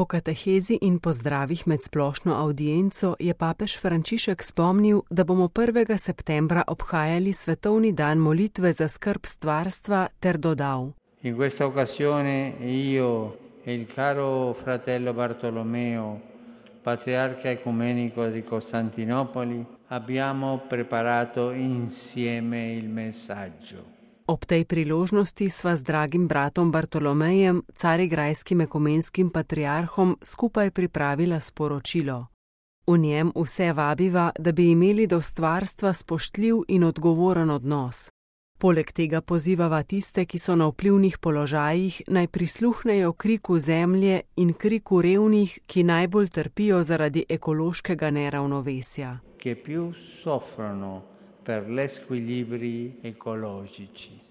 Po katehezi in pozdravih med splošno avdienco je papež Frančišek spomnil, da bomo 1. septembra obhajali svetovni dan molitve za skrb stvarstva ter dodal: In questa occasione io e il caro fratello Bartolomeo, patriarca ecumenico di Costantinopoli, abbiamo preparato insieme il messaggio. Ob tej priložnosti sva z dragim bratom Bartolomejem, carigrajskim ekumenskim patriarhom, skupaj pripravila sporočilo. V njem vse vabiva, da bi imeli do stvarstva spoštljiv in odgovoren odnos. Poleg tega pozivava tiste, ki so na vplivnih položajih, naj prisluhnejo kriku zemlje in kriku revnih, ki najbolj trpijo zaradi ekološkega neravnovesja. Che più soffrono per gli squilibri ecologici.